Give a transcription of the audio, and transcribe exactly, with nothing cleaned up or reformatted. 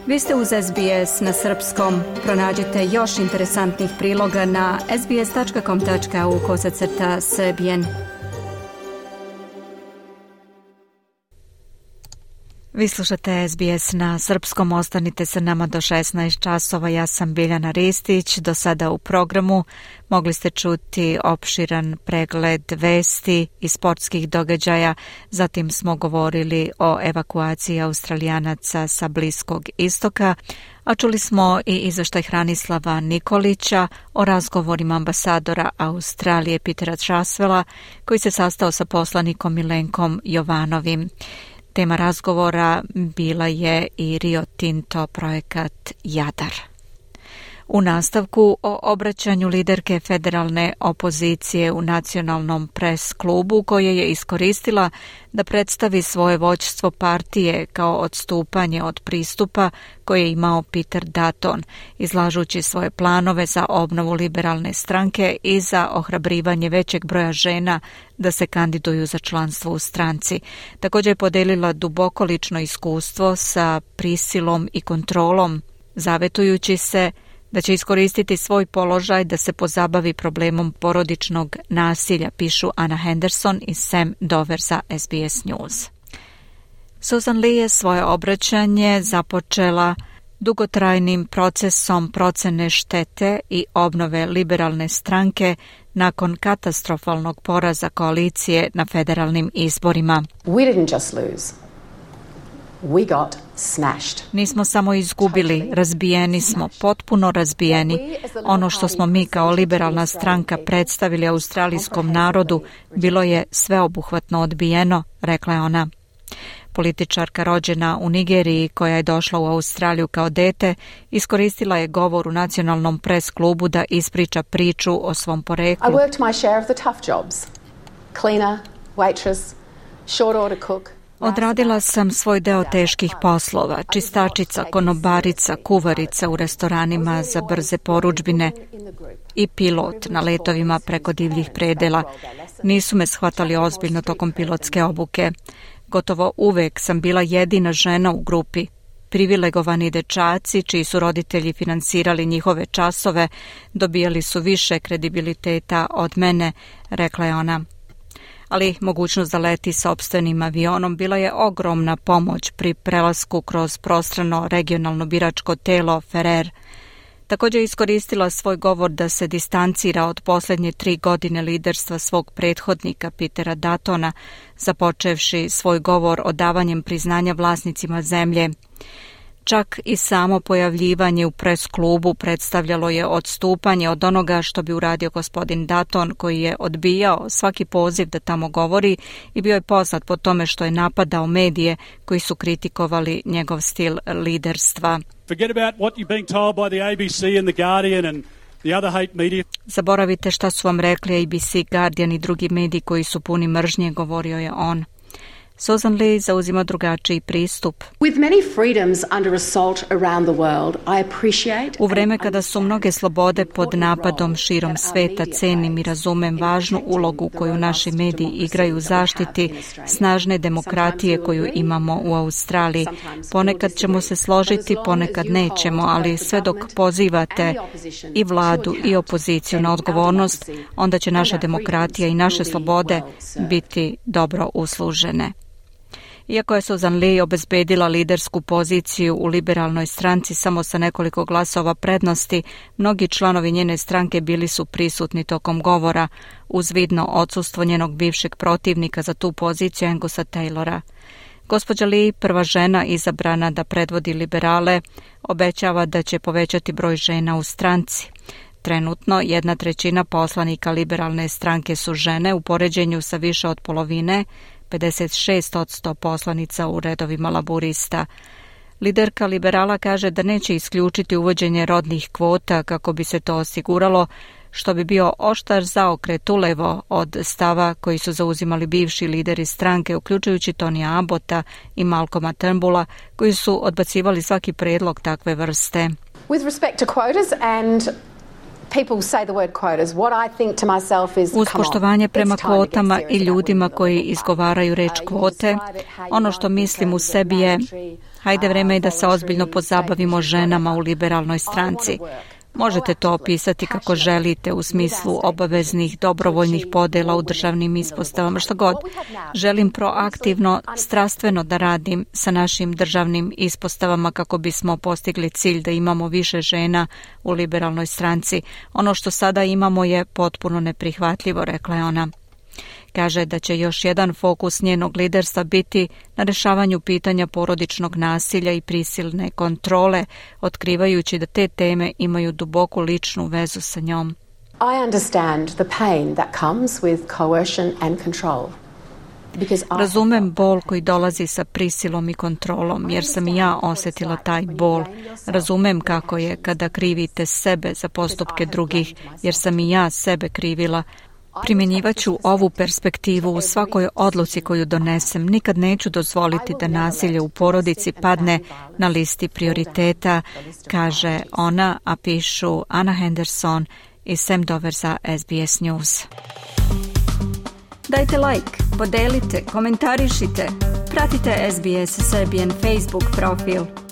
Vi ste uz S B S na srpskom. Pronađite još interesantnih priloga na sbs.com.au kosacrta srbijen. Vi slušate S B S na srpskom, ostanite sa nama do šesnaest časova. Ja sam Biljana Ristić. Do sada u programu mogli ste čuti opširan pregled vesti i sportskih događaja. Zatim smo govorili o evakuaciji Australijanaca sa Bliskog istoka, a čuli smo i izveštaj Hranislava Nikolića o razgovorima ambasadora Australije Petera Trasvela, koji se sastao sa poslanikom Milenkom Jovanovim. Tema razgovora bila je i Rio Tinto projekat Jadar. U nastavku o obraćanju liderke federalne opozicije u nacionalnom pres klubu, koje je iskoristila da predstavi svoje vođstvo partije kao odstupanje od pristupa koje je imao Peter Dutton, izlažući svoje planove za obnovu liberalne stranke i za ohrabrivanje većeg broja žena da se kandiduju za članstvo u stranci. Također je podelila duboko lično iskustvo sa prisilom i kontrolom, zavetujući se da će iskoristiti svoj položaj da se pozabavi problemom porodičnog nasilja, pišu Anna Henderson i Sam Dover za S B S News. Susan Lee je svoje obraćanje započela dugotrajnim procesom procene štete i obnove liberalne stranke nakon katastrofalnog poraza koalicije na federalnim izborima. We didn't just lose. We got smashed. Nismo samo izgubili, razbijeni smo, potpuno razbijeni. Ono što smo mi kao liberalna stranka predstavili australijskom narodu bilo je sveobuhvatno odbijeno, rekla je ona. Političarka rođena u Nigeriji koja je došla u Australiju kao dete, iskoristila je govor u nacionalnom pres klubu da ispriča priču o svom poreklu. I worked my share of the tough jobs. Cleaner, waitress, short order cook. Odradila sam svoj deo teških poslova, čistačica, konobarica, kuvarica u restoranima za brze porudžbine i pilot na letovima preko divljih predela. Nisu me shvatali ozbiljno tokom pilotske obuke. Gotovo uvek sam bila jedina žena u grupi. Privilegovani dečaci, čiji su roditelji finansirali njihove časove, dobijali su više kredibiliteta od mene, rekla je ona. Ali mogućnost da leti sopstvenim avionom bila je ogromna pomoć pri prelasku kroz prostrano regionalno biračko telo Ferrer. Također je iskoristila svoj govor da se distancira od posljednje tri godine liderstva svog prethodnika Petera Duttona, započevši svoj govor odavanjem priznanja vlasnicima zemlje. Čak i samo pojavljivanje u pres klubu predstavljalo je odstupanje od onoga što bi uradio gospodin Dutton, koji je odbijao svaki poziv da tamo govori i bio je poznat po tome što je napadao medije koji su kritikovali njegov stil liderstva. Forget about what you're being told by the A B C and the Guardian and the other hate media. Zaboravite šta su vam rekli A B C, Guardian i drugi mediji koji su puni mržnje, govorio je on. Susan Lee zauzima drugačiji pristup. With many freedoms under assault around the world, I appreciate. U vreme kada su mnoge slobode pod napadom širom sveta, cenim i razumem važnu ulogu koju naši mediji igraju u zaštiti snažne demokratije koju imamo u Australiji. Ponekad ćemo se složiti, ponekad nećemo, ali sve dok pozivate i vladu i opoziciju na odgovornost, onda će naša demokratija i naše slobode biti dobro uslužene. Iako je Susan Lee obezbedila lidersku poziciju u liberalnoj stranci samo sa nekoliko glasova prednosti, mnogi članovi njene stranke bili su prisutni tokom govora, uz vidno odsustvo njenog bivšeg protivnika za tu poziciju Angusa Taylora. Gospođa Lee, prva žena izabrana da predvodi liberale, obećava da će povećati broj žena u stranci. Trenutno jedna trećina poslanika liberalne stranke su žene u poređenju sa više od polovine, pedeset šest posto poslanica u redovima laburista. Liderka liberala kaže da neće isključiti uvođenje rodnih kvota kako bi se to osiguralo, što bi bio oštar zaokret ulevo od stava koji su zauzimali bivši lideri stranke, uključujući Tonija Abbotta i Malcolma Turnbulla, koji su odbacivali svaki predlog takve vrste. With respect to quotas and people say the word quotas, what I think to myself is, uz poštovanje prema kvotama i ljudima koji izgovaraju reč kvote, ono što mislim u sebi je, hajde vreme je da se ozbiljno pozabavimo ženama u liberalnoj stranci. Možete to opisati kako želite u smislu obaveznih, dobrovoljnih podela u državnim ispostavama, što god. Želim proaktivno, strastveno da radim sa našim državnim ispostavama kako bismo postigli cilj da imamo više žena u liberalnoj stranci. Ono što sada imamo je potpuno neprihvatljivo, rekla je ona. Kaže da će još jedan fokus njenog liderstva biti na rešavanju pitanja porodičnog nasilja i prisilne kontrole, otkrivajući da te teme imaju duboku ličnu vezu sa njom. I understand the pain that comes with coercion and control. Razumem bol koji dolazi sa prisilom i kontrolom, jer sam i ja osjetila taj bol. Razumem kako je kada krivite sebe za postupke drugih, jer sam i ja sebe krivila. Primjenjivaću ovu perspektivu u svakoj odluci koju donesem. Nikad neću dozvoliti da nasilje u porodici padne na listi prioriteta, kaže ona, a pišu Anna Henderson i Sam Dover za S B S News. Dajte like, podelite, komentarišite, pratite S B S Serbian Facebook profil.